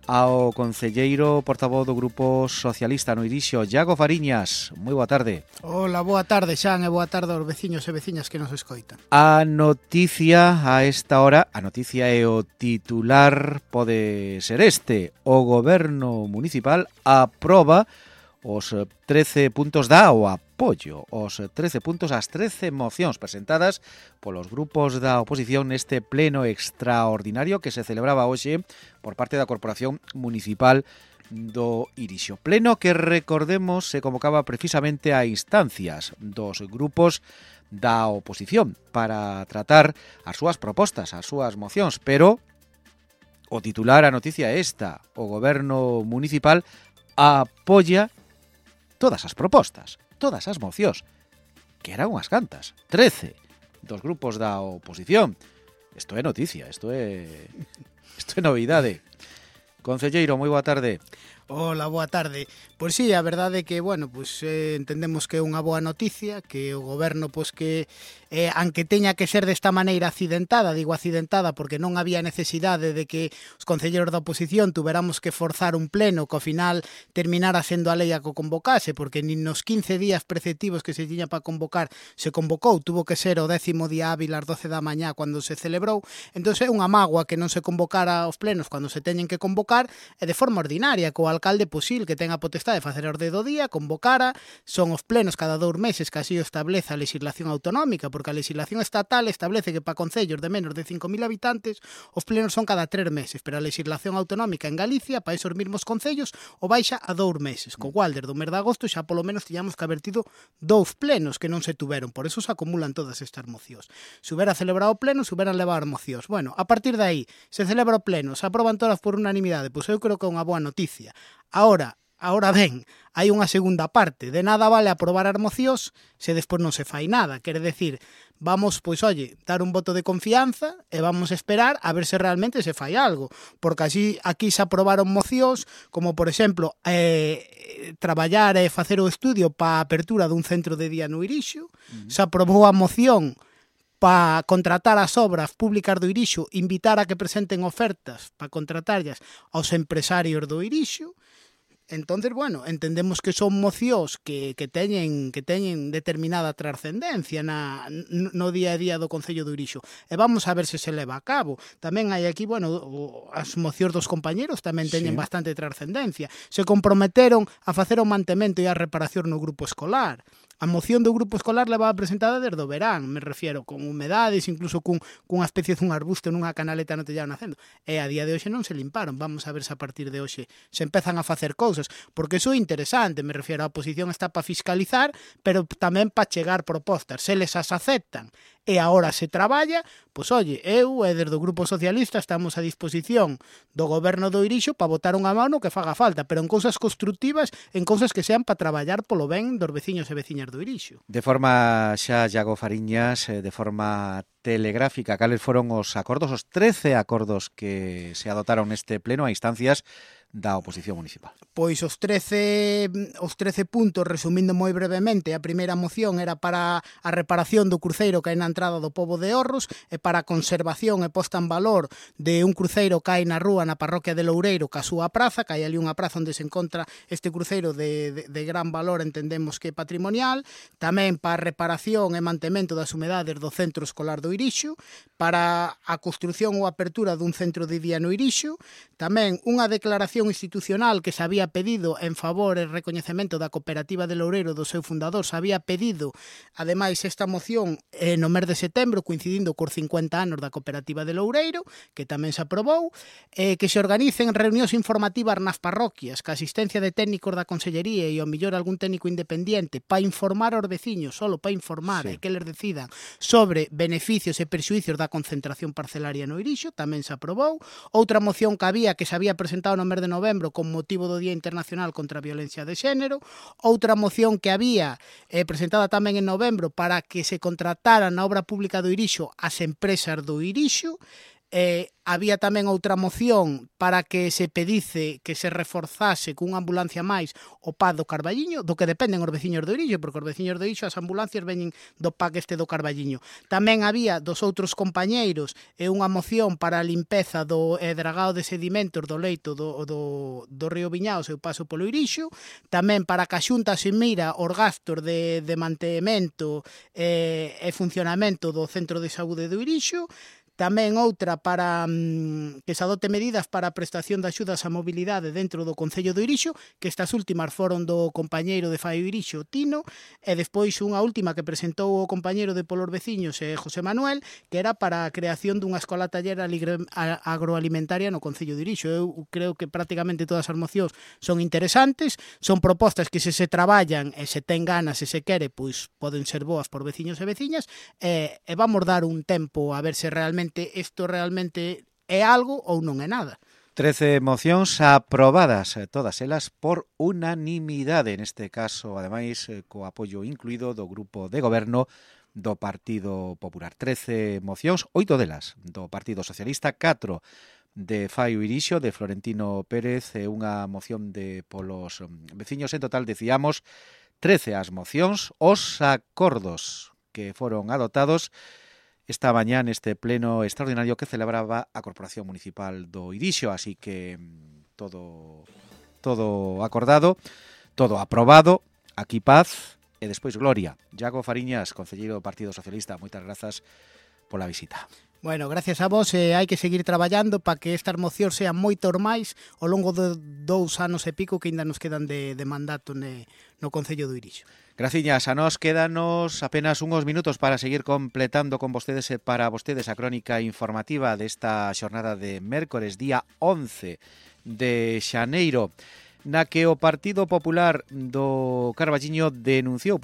ao concelleiro portavoz do Grupo Socialista no Irixo, Iago Fariñas. Moi boa tarde. Hola, boa tarde, Xan, e boa tarde aos veciños e veciñas que nos escoitan. A noticia a esta hora, a noticia e o titular pode ser este: o Goberno Municipal aproba os 13 puntos da o apoio, os 13 puntos ás 13 mocións presentadas polos grupos da oposición neste pleno extraordinario que se celebraba hoxe por parte da Corporación Municipal do Irixo. Pleno que, recordemos, se convocaba precisamente a instancias dos grupos da oposición para tratar as súas propostas, as súas mocións, pero o titular, a noticia é esta: o Goberno Municipal apoia todas as propostas, todas as mocións, que eran unhas cantas, 13 dos grupos da oposición. Isto é noticia, isto é novidade. Concelleiro, moi boa tarde. Hola, boa tarde. Pois sí, a verdade é que, entendemos que é unha boa noticia, que o goberno, que aunque teña que ser desta maneira accidentada, digo accidentada porque non había necesidade de que os concelleiros da oposición tuveramos que forzar un pleno que ao final terminara sendo a lei a que o convocase, porque nin nos 15 días preceptivos que se tiña para convocar se convocou, tuvo que ser o 10º día hábil ás 12 da mañá cando se celebrou. Entón é unha mágoa que non se convocara os plenos cando se teñen que convocar e de forma ordinaria, co alcalde posil que ten a potestade de facer a orde do día, convocara, son os plenos cada 2 meses que así o establece a legislación autonómica, porque a legislación estatal establece que para concellos de menos de 5.000 habitantes os plenos son cada 3 meses, pero a legislación autonómica en Galicia, para esos mesmos concellos, o baixa a 2 meses, co cual, desde o mes de agosto, xa polo menos tiñamos que haber tido 2 plenos que non se tuveron, por eso se acumulan todas estas mocións. Se hubera celebrado o pleno, se huberan levado mocións. Bueno, a partir de aí, se celebra o pleno, se aproban todas por unanimidade, pois eu creo que é unha boa noticia. Ahora ben, hai unha segunda parte. De nada vale aprobar as mocións se despois non se fai nada. Quere decir, vamos, dar un voto de confianza e vamos esperar a ver se realmente se fai algo. Porque así aquí se aprobaron mocións como, por exemplo, traballar e facer o estudio para a apertura dun centro de día no Irixo. Se aprobou a moción para contratar as obras públicas do Irixo, invitar a que presenten ofertas para contratarlas aos empresarios do Irixo. Entonces, entendemos que son mocións que teñen determinada trascendencia no día a día do Concello do Irixo. E vamos a ver se leva a cabo. Tamén hai aquí, as mocións dos compañeros tamén teñen bastante trascendencia. Se comprometeron a facer o mantemento e a reparación no grupo escolar. A moción do grupo escolar levaba presentada desde o verán, me refiero, con humedades, incluso cunha especie dun arbusto nunha canaleta no tellado nacendo. E a día de hoxe non se limparon. Vamos a ver se a partir de hoxe se empezan a facer cousas, porque iso é interesante, me refiero, a oposición está para fiscalizar, pero tamén para chegar propostas. Se les as aceptan e agora se traballa, eu e desde o Grupo Socialista estamos a disposición do Goberno do Irixo para botar unha mano que faga falta, pero en cousas constructivas, en cousas que sean para traballar polo ben dos veciños e veciñas do Irixo. De forma xa, Iago Fariñas, de forma telegráfica, cales foron os acordos, os 13 acordos que se adotaron neste pleno a instancias da oposición municipal? Pois os 13 puntos, resumindo moi brevemente, a primeira moción era para a reparación do cruceiro que hai na entrada do Pobo de Orros e para a conservación e posta en valor de un cruceiro que hai na rúa na parroquia de Loureiro ca súa praza, que hai ali unha praza onde se encontra este cruceiro de gran valor, entendemos que patrimonial. Tamén para a reparación e mantemento das humedades do centro escolar do Irixo, para a construción ou apertura dun centro de día no Irixo. Tamén unha declaración institucional que se había pedido en favor e recoñecemento da cooperativa de Loureiro do seu fundador. Se había pedido, ademais, esta moción no mes de setembro, coincidindo cos 50 anos da cooperativa de Loureiro, que tamén se aprobou, que se organicen reunións informativas nas parroquias, que a asistencia de técnicos da Consellería e ao mellor algún técnico independiente para informar aos veciños, solo para informar e que les decidan sobre beneficios e perxuicios da concentración parcelaria no Irixo, tamén se aprobou. Outra moción que había, que se había presentado no mes de novembro con motivo do Día Internacional contra a Violencia de Xénero. Outra moción que había presentada tamén en novembro para que se contrataran na obra pública do Irixo as empresas do Irixo. Había tamén outra moción para que se pedice que se reforzase cunha ambulancia máis o PAC do Carballiño, do que dependen os veciños do Irixo, porque os veciños do Irixo as ambulancias veñen do PAC este do Carballiño. Tamén había dos outros compañeiros unha moción para a limpeza do dragado de sedimentos do leito do río Viñao e o paso polo Irixo, tamén para que a Xunta se mira os gastos de mantemento e funcionamento do centro de saúde do Irixo. Tamén outra para que se adote medidas para a prestación de axudas á mobilidade dentro do Concello do Irixo, que estas últimas foron do compañeiro de Fai Irixo, Tino, e despois unha última que presentou o compañeiro de Polos Veciños, José Manuel, que era para a creación dunha escola taller agroalimentaria no Concello do Irixo. Eu creo que prácticamente todas as mocións son interesantes, son propostas que se traballan e se ten ganas e se quere, pois poden ser boas por veciños e veciñas, e vamos dar un tempo a ver se realmente isto realmente é algo ou non é nada. 13 mocións aprobadas, todas elas por unanimidade, neste caso, ademais, co apoio incluído do grupo de goberno do Partido Popular. 13 mocións, 8 delas do Partido Socialista, 4 de Fai Irixo, de Florentino Pérez, e unha moción de Polos Veciños. En total, decíamos, 13 as mocións, os acordos que foron adoptados esta mañá neste pleno extraordinario que celebraba a Corporación Municipal do Irixo, así que todo acordado, todo aprobado, aquí paz e despois gloria. Iago Fariñas, concelleiro do Partido Socialista, moitas grazas pola visita. Bueno, gracias a vos, hai que seguir traballando para que estas mocións sean moitos máis ao longo de 2 anos e pico que ainda nos quedan de mandato no Concello do Irixo. Graciñas, a nós quédanos apenas uns minutos para seguir completando con vostedes e para vostedes a crónica informativa desta xornada de mércores, día 11 de xaneiro, na que o Partido Popular do Carballiño denunciou